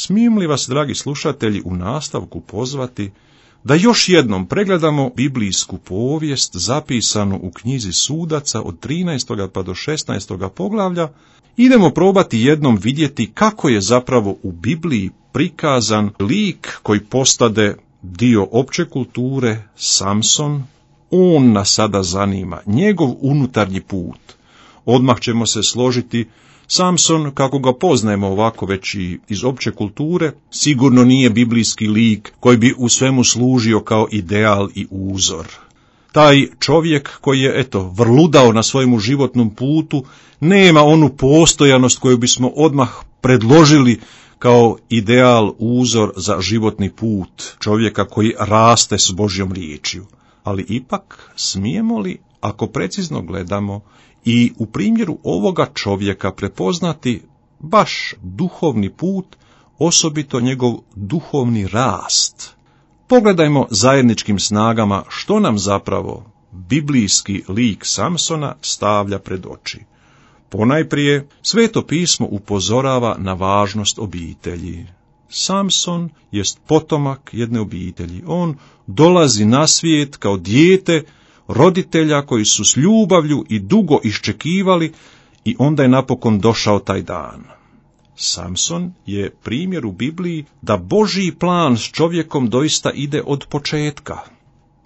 Smijem li vas, dragi slušatelji, u nastavku pozvati da još jednom pregledamo biblijsku povijest zapisanu u knjizi Sudaca od 13. pa do 16. poglavlja, idemo probati jednom vidjeti kako je zapravo u Bibliji prikazan lik koji postade dio opće kulture, Samson. On nas sada zanima, njegov unutarnji put. Odmah ćemo se složiti, Samson, kako ga poznajemo ovako već i iz opće kulture, sigurno nije biblijski lik koji bi u svemu služio kao ideal i uzor. Taj čovjek koji je, vrludao na svojemu životnom putu, nema onu postojanost koju bismo odmah predložili kao ideal, uzor za životni put čovjeka koji raste s Božjom riječju. Ali ipak, smijemo li, ako precizno gledamo, i u primjeru ovoga čovjeka prepoznati baš duhovni put, osobito njegov duhovni rast? Pogledajmo zajedničkim snagama što nam zapravo biblijski lik Samsona stavlja pred oči. Ponajprije, Sveto pismo upozorava na važnost obitelji. Samson jest potomak jedne obitelji. On dolazi na svijet kao dijete roditelja koji su s ljubavlju i dugo iščekivali i onda je napokon došao taj dan. Samson je primjer u Bibliji da Božji plan s čovjekom doista ide od početka.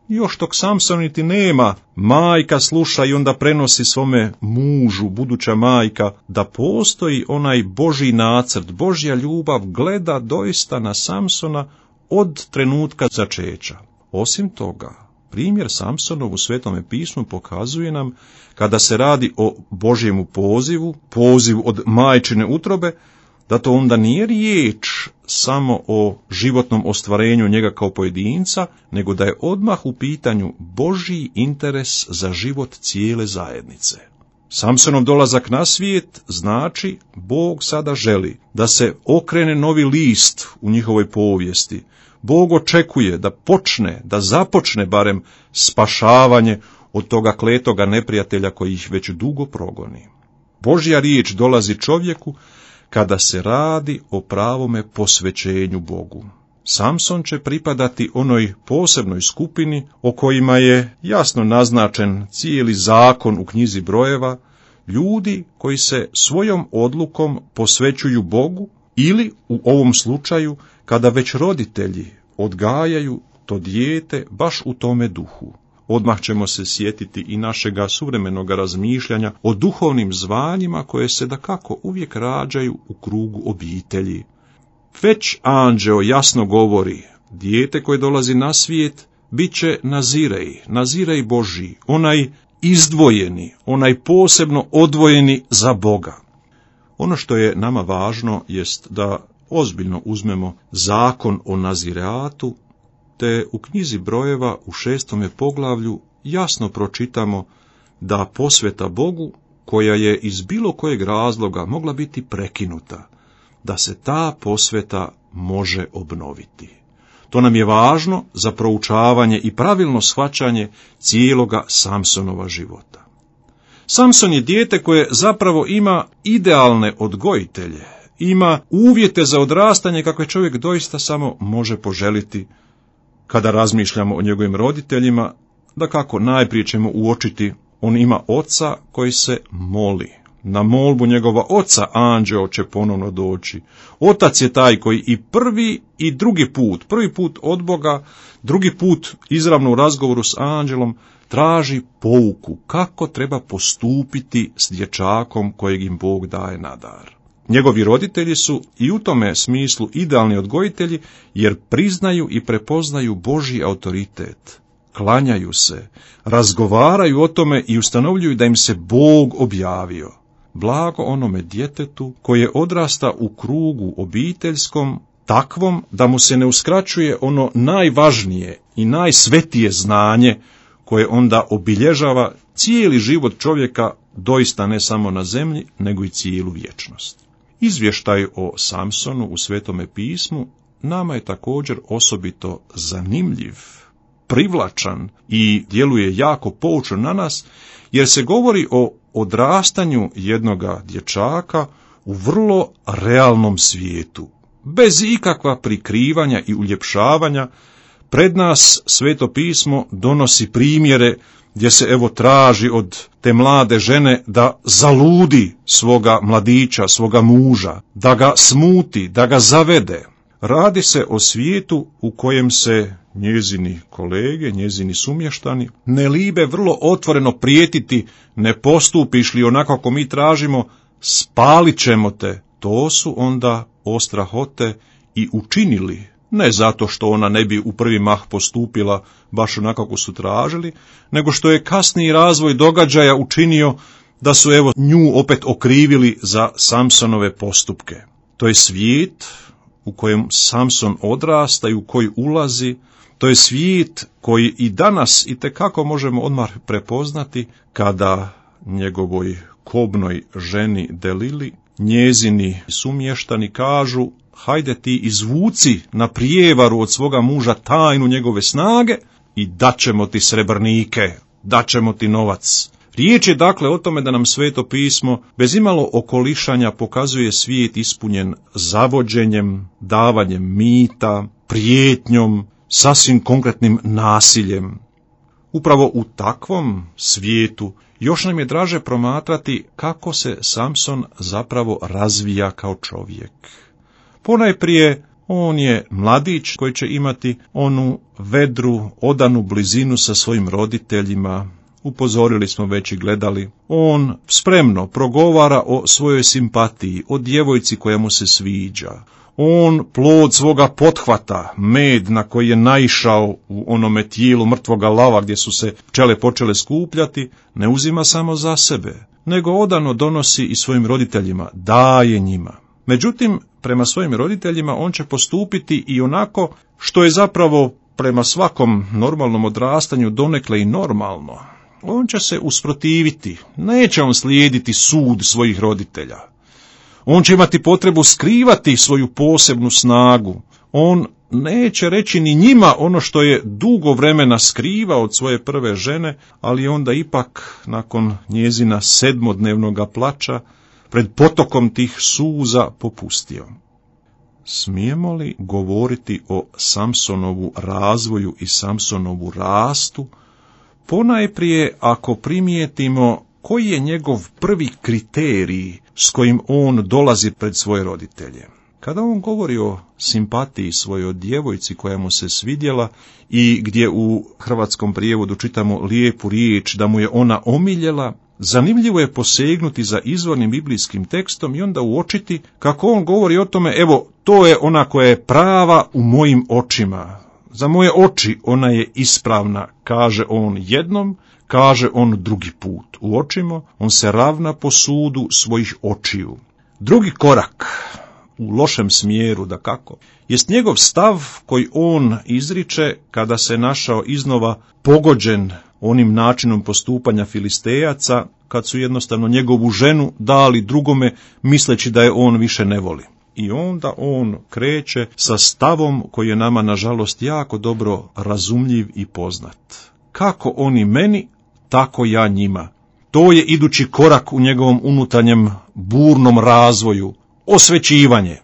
Još dok Samson niti nema, majka sluša i onda prenosi svome mužu, buduća majka, da postoji onaj Božji nacrt, Božja ljubav gleda doista na Samsona od trenutka začeća. Osim toga, primjer Samsonov u Svetome pismu pokazuje nam, kada se radi o Božjemu pozivu od majčine utrobe, da to onda nije riječ samo o životnom ostvarenju njega kao pojedinca, nego da je odmah u pitanju Božji interes za život cijele zajednice. Samsonov dolazak na svijet znači Bog sada želi da se okrene novi list u njihovoj povijesti. Bog očekuje da započne barem spašavanje od toga kletoga neprijatelja koji ih već dugo progoni. Božja riječ dolazi čovjeku kada se radi o pravome posvećenju Bogu. Samson će pripadati onoj posebnoj skupini o kojima je jasno naznačen cijeli zakon u knjizi Brojeva, ljudi koji se svojom odlukom posvećuju Bogu ili u ovom slučaju kada već roditelji odgajaju to dijete baš u tome duhu. Odmah ćemo se sjetiti i našega suvremenoga razmišljanja o duhovnim zvanjima koje se dakako uvijek rađaju u krugu obitelji. Već anđeo jasno govori, dijete koje dolazi na svijet bit će nazirej Božji, onaj izdvojeni, onaj posebno odvojeni za Boga. Ono što je nama važno jest da ozbiljno uzmemo zakon o nazireatu, te u knjizi Brojeva u 6. poglavlju jasno pročitamo da posveta Bogu, koja je iz bilo kojeg razloga mogla biti prekinuta, da se ta posveta može obnoviti. To nam je važno za proučavanje i pravilno shvaćanje cijeloga Samsonova života. Samson je dijete koje zapravo ima idealne odgojitelje, ima uvjete za odrastanje kakve čovjek doista samo može poželiti. Kada razmišljamo o njegovim roditeljima, dakako najprije ćemo uočiti, on ima oca koji se moli. Na molbu njegova oca anđeo će ponovno doći. Otac je taj koji i prvi i drugi put od Boga, drugi put izravno u razgovoru s anđelom, traži pouku kako treba postupiti s dječakom kojeg im Bog daje na dar. Njegovi roditelji su i u tome smislu idealni odgojitelji, jer priznaju i prepoznaju Božji autoritet. Klanjaju se, razgovaraju o tome i ustanovljuju da im se Bog objavio. Blago onome djetetu koje odrasta u krugu obiteljskom, takvom da mu se ne uskraćuje ono najvažnije i najsvetije znanje koje onda obilježava cijeli život čovjeka, doista ne samo na zemlji, nego i cijelu vječnost. Izvještaj o Samsonu u Svetome pismu nama je također osobito zanimljiv, privlačan i djeluje jako poučno na nas, jer se govori o odrastanju jednoga dječaka u vrlo realnom svijetu. bez ikakva prikrivanja i uljepšavanja, pred nas Sveto pismo donosi primjere gdje se evo traži od te mlade žene da zaludi svoga mladića, svoga muža, da ga smuti, da ga zavede. Radi se o svijetu u kojem se njezini kolege, njezini sumještani ne libe vrlo otvoreno prijetiti, ne postupiš li onako kako mi tražimo, spalit ćemo te. To su onda ostrahote i učinili, ne zato što ona ne bi u prvi mah postupila baš onako kako su tražili, nego što je kasniji razvoj događaja učinio da su evo nju opet okrivili za Samsonove postupke. To je svijet u kojem Samson odrasta i u koji ulazi, to je svijet koji i danas itekako možemo odmah prepoznati kada njegovoj kobnoj ženi Delili njezini sumještani kažu: hajde ti izvuci na prijevaru od svoga muža tajnu njegove snage i daćemo ti srebrnike, daćemo ti novac. Riječ je dakle o tome da nam Sveto pismo bez imalo okolišanja pokazuje svijet ispunjen zavođenjem, davanjem mita, prijetnjom, sasvim konkretnim nasiljem. Upravo u takvom svijetu još nam je draže promatrati kako se Samson zapravo razvija kao čovjek. Ponajprije, on je mladić koji će imati onu vedru, odanu blizinu sa svojim roditeljima. Upozorili smo već i gledali. On spremno progovara o svojoj simpatiji, o djevojci koja mu se sviđa. On plod svoga pothvata, med na koji je naišao u onome tijelu mrtvoga lava gdje su se pčele počele skupljati, ne uzima samo za sebe, nego odano donosi i svojim roditeljima, daje njima. Međutim, prema svojim roditeljima on će postupiti i onako što je zapravo prema svakom normalnom odrastanju donekle i normalno. On će se usprotiviti, neće on slijediti sud svojih roditelja. On će imati potrebu skrivati svoju posebnu snagu. On neće reći ni njima ono što je dugo vremena skrivao od svoje prve žene, ali onda ipak nakon njezina 7-dnevnog plača pred potokom tih suza popustio. Smijemo li govoriti o Samsonovu razvoju i Samsonovu rastu, ponajprije ako primijetimo koji je njegov prvi kriterij s kojim on dolazi pred svoje roditelje. Kada on govori o simpatiji svojoj djevojci koja mu se svidjela i gdje u hrvatskom prijevodu čitamo lijepu riječ da mu je ona omiljela, zanimljivo je posegnuti za izvornim biblijskim tekstom i onda uočiti kako on govori o tome: evo, to je ona koja je prava u mojim očima. Za moje oči ona je ispravna, kaže on jednom, kaže on drugi put. Uočimo, on se ravna po sudu svojih očiju. Drugi korak, u lošem smjeru dakako, jest njegov stav koji on izriče kada se našao iznova pogođen onim načinom postupanja Filistejaca, kad su jednostavno njegovu ženu dali drugome misleći da je on više ne voli. I onda on kreće sa stavom koji je nama nažalost jako dobro razumljiv i poznat. Kako oni meni, tako ja njima. To je idući korak u njegovom unutarnjem burnom razvoju, osvećivanje.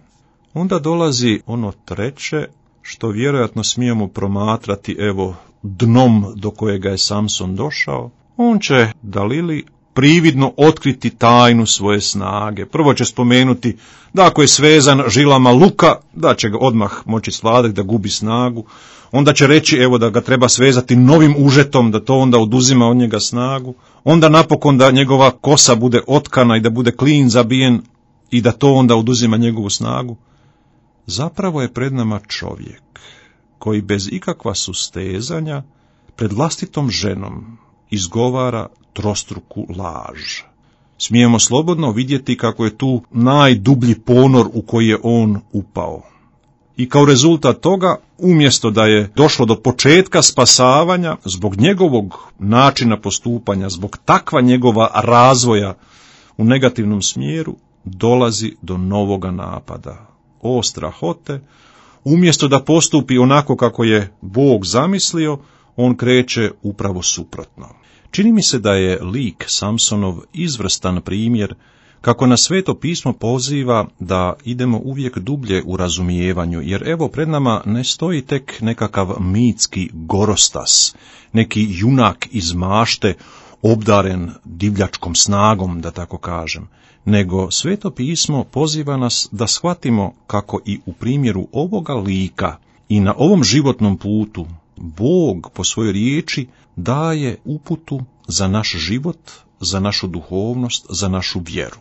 Onda dolazi ono treće, što vjerojatno smijemo promatrati evo dnom do kojega je Samson došao. On će Dalili prividno otkriti tajnu svoje snage. Prvo će spomenuti da ako je svezan žilama luka, da će ga odmah moći svladati, da gubi snagu. Onda će reći evo da ga treba svezati novim užetom, da to onda oduzima od njega snagu. Onda napokon da njegova kosa bude otkana i da bude klin zabijen i da to onda oduzima njegovu snagu. Zapravo je pred nama čovjek koji bez ikakva sustezanja pred vlastitom ženom izgovara trostruku laž. Smijemo slobodno vidjeti kako je tu najdublji ponor u koji je on upao. I kao rezultat toga, umjesto da je došlo do početka spasavanja, zbog njegovog načina postupanja, zbog takva njegova razvoja u negativnom smjeru, dolazi do novoga napada. O strahote, umjesto da postupi onako kako je Bog zamislio, on kreće upravo suprotno. Čini mi se da je lik Samsonov izvrstan primjer kako nas Sveto pismo poziva da idemo uvijek dublje u razumijevanju, jer evo pred nama ne stoji tek nekakav mitski gorostas, neki junak iz mašte obdaren divljačkom snagom, da tako kažem, nego Sveto pismo poziva nas da shvatimo kako i u primjeru ovoga lika i na ovom životnom putu Bog po svojoj riječi daje uputu za naš život, za našu duhovnost, za našu vjeru.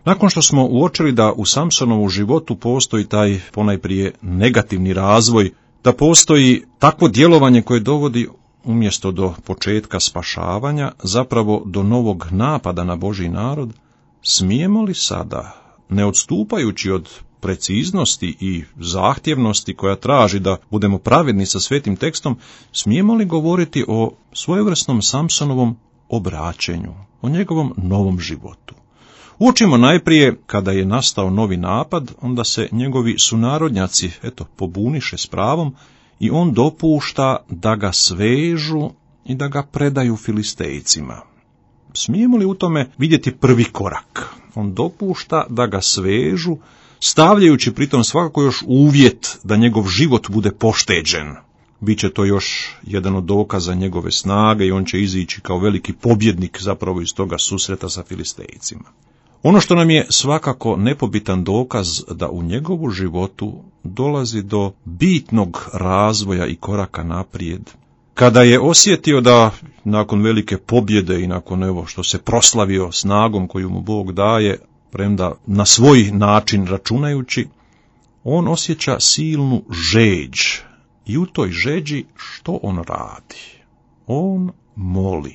Nakon što smo uočili da u Samsonovu životu postoji taj ponajprije negativni razvoj, da postoji takvo djelovanje koje dovodi umjesto do početka spašavanja, zapravo do novog napada na Božji narod, smijemo li sada, ne odstupajući od preciznosti i zahtjevnosti koja traži da budemo pravedni sa svetim tekstom, smijemo li govoriti o svojevrsnom Samsonovom obraćenju, o njegovom novom životu? Učimo najprije, kada je nastao novi napad, onda se njegovi sunarodnjaci, pobuniše s pravom i on dopušta da ga svežu i da ga predaju Filistejcima. Smijemo li u tome vidjeti prvi korak? On dopušta da ga svežu, stavljajući pritom svakako još uvjet da njegov život bude pošteđen. Biće to još jedan od dokaza njegove snage i on će izići kao veliki pobjednik zapravo iz toga susreta sa Filistejcima. Ono što nam je svakako nepobitan dokaz da u njegovu životu dolazi do bitnog razvoja i koraka naprijed. Kada je osjetio da nakon velike pobjede i nakon što se proslavio snagom koju mu Bog daje, premda na svoj način računajući, on osjeća silnu žeđ. I u toj žeđi što on radi? On moli.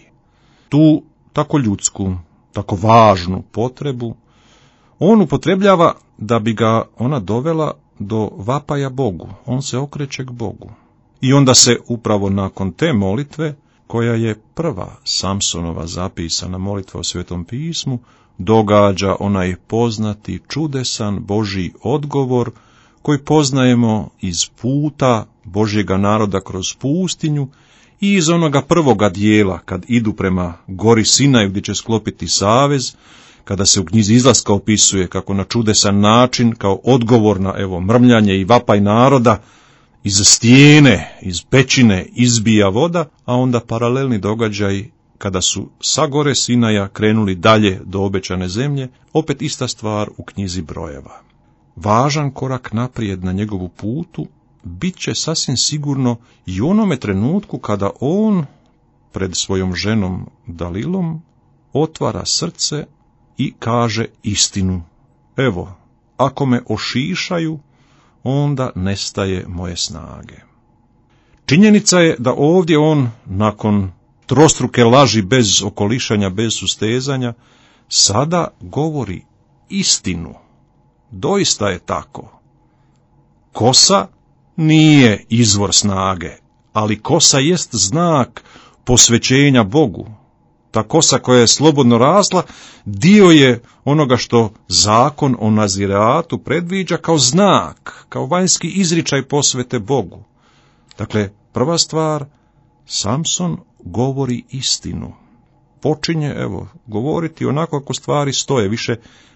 Tu tako ljudsku, tako važnu potrebu on upotrebljava da bi ga ona dovela do vapaja Bogu. On se okreće k Bogu. I onda se upravo nakon te molitve, koja je prva Samsonova zapisana molitva u Svetom pismu, događa onaj poznati, čudesan Božji odgovor koji poznajemo iz puta Božjega naroda kroz pustinju i iz onoga prvoga dijela kad idu prema gori Sinaju gdje će sklopiti savez, kada se u knjizi Izlaska opisuje kako na čudesan način, kao odgovor na mrmljanje i vapaj naroda, iz stijene, iz pećine izbija voda, a onda paralelni događaj kada su sa gore Sinaja krenuli dalje do obećane zemlje, opet ista stvar u knjizi Brojeva. Važan korak naprijed na njegovu putu bit će sasvim sigurno i u onome trenutku kada on pred svojom ženom Dalilom otvara srce i kaže istinu. Evo, ako me ošišaju, onda nestaje moje snage. Činjenica je da ovdje on, nakon trostruke laži bez okolišanja, bez sustezanja, sada govori istinu. Doista je tako. Kosa nije izvor snage, ali kosa jest znak posvećenja Bogu. Ta kosa koja je slobodno rasla, dio je onoga što zakon o naziratu predviđa kao znak, kao vanjski izričaj posvete Bogu. Dakle, prva stvar, Samson govori istinu. Počinje, govoriti onako kako stvari stoje, više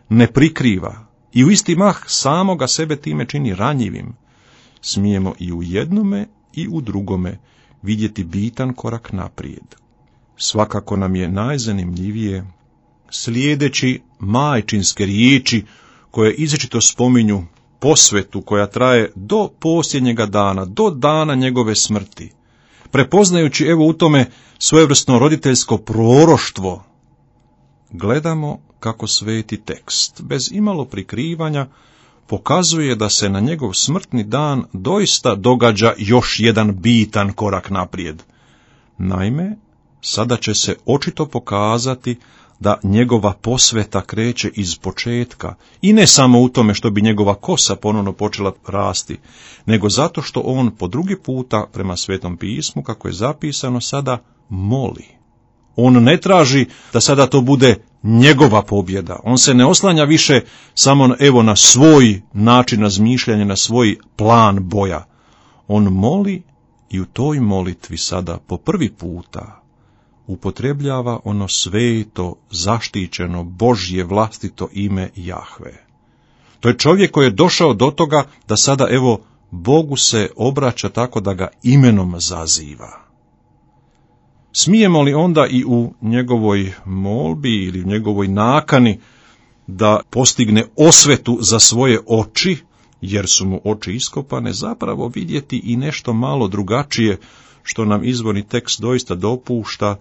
ne prikriva. I u isti mah samoga sebe time čini ranjivim. Smijemo i u jednome i u drugome vidjeti bitan korak naprijed. Svakako nam je najzanimljivije slijedeći majčinske riječi koje izričito spominju posvetu koja traje do posljednjega dana, do dana njegove smrti. Prepoznajući u tome svojevrsno roditeljsko proroštvo, gledamo kako sveti tekst, bez imalo prikrivanja, pokazuje da se na njegov smrtni dan doista događa još jedan bitan korak naprijed. Naime, sada će se očito pokazati da njegova posveta kreće iz početka i ne samo u tome što bi njegova kosa ponovno počela rasti, nego zato što on po drugi puta prema Svetom pismu, kako je zapisano, sada moli. On ne traži da sada to bude njegova pobjeda. On se ne oslanja više samo na svoj način razmišljanja, na svoj plan boja. On moli i u toj molitvi sada po prvi puta upotrebljava ono sveto, zaštićeno, Božje vlastito ime Jahve. To je čovjek koji je došao do toga da sada, evo, Bogu se obraća tako da ga imenom zaziva. Smijemo li onda i u njegovoj molbi ili u njegovoj nakani da postigne osvetu za svoje oči, jer su mu oči iskopane, zapravo vidjeti i nešto malo drugačije, što nam izvorni tekst doista dopušta,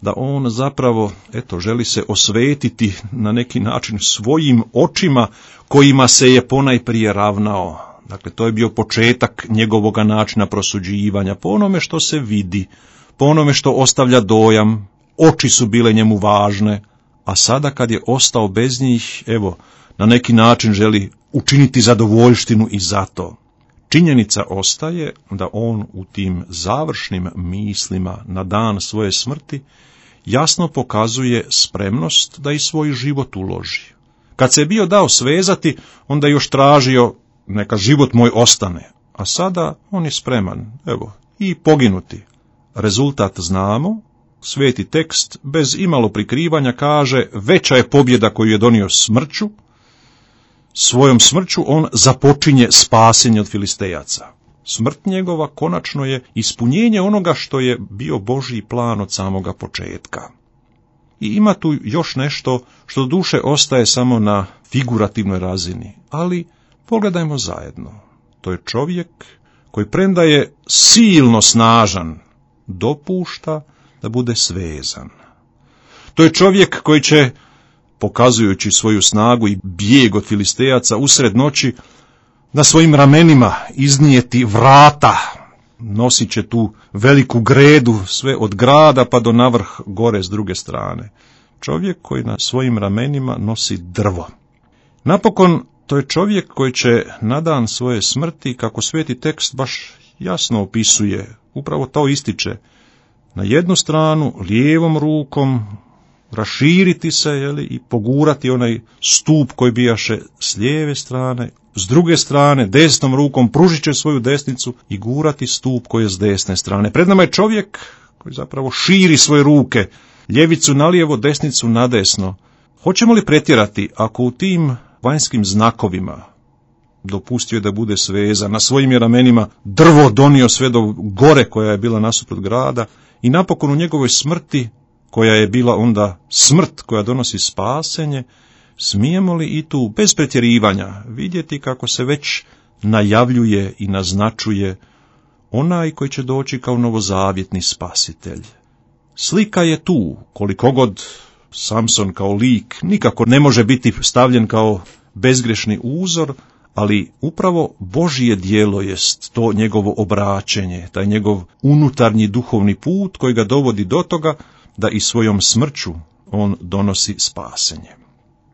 da on zapravo, želi se osvetiti na neki način svojim očima kojima se je ponajprije ravnao. Dakle, to je bio početak njegovoga načina prosuđivanja, po onome što se vidi, po onome što ostavlja dojam, oči su bile njemu važne, a sada kad je ostao bez njih, na neki način želi učiniti zadovoljštinu i zato. Činjenica ostaje da on u tim završnim mislima na dan svoje smrti jasno pokazuje spremnost da i svoj život uloži. Kad se je bio dao svezati, onda je još tražio neka život moj ostane, a sada on je spreman, i poginuti. Rezultat znamo, sveti tekst bez imalo prikrivanja kaže: veća je pobjeda koju je donio smrću, svojom smrću on započinje spasenje od Filistejaca. Smrt njegova konačno je ispunjenje onoga što je bio Božji plan od samoga početka. I ima tu još nešto što duše ostaje samo na figurativnoj razini, ali pogledajmo zajedno. To je čovjek koji, premda je silno snažan, dopušta da bude svezan. To je čovjek koji će, pokazujući svoju snagu i bijeg od Filistejaca usred noći, na svojim ramenima iznijeti vrata, nosit će tu veliku gredu sve od grada pa do navrh gore s druge strane. Čovjek koji na svojim ramenima nosi drvo. Napokon, to je čovjek koji će na dan svoje smrti, kako sveti tekst baš jasno opisuje, upravo to ističe, na jednu stranu lijevom rukom raširiti se i pogurati onaj stup koji bijaše s lijeve strane, s druge strane desnom rukom pružit će svoju desnicu i gurati stup koji je s desne strane. Pred nama je čovjek koji zapravo širi svoje ruke, ljevicu nalijevo, desnicu nadesno. Hoćemo li pretjerati ako u tim vanjskim znakovima dopustio je da bude svezan, na svojim je ramenima drvo donio sve do gore koja je bila nasuprot grada i napokon u njegovoj smrti, koja je bila onda smrt koja donosi spasenje, smijemo li i tu bez pretjerivanja vidjeti kako se već najavljuje i naznačuje onaj koji će doći kao novozavjetni spasitelj. Slika je tu, koliko god Samson kao lik nikako ne može biti stavljen kao bezgrešni uzor, ali upravo Božje djelo jest to njegovo obraćenje, taj njegov unutarnji duhovni put koji ga dovodi do toga da i svojom smrću on donosi spasenje.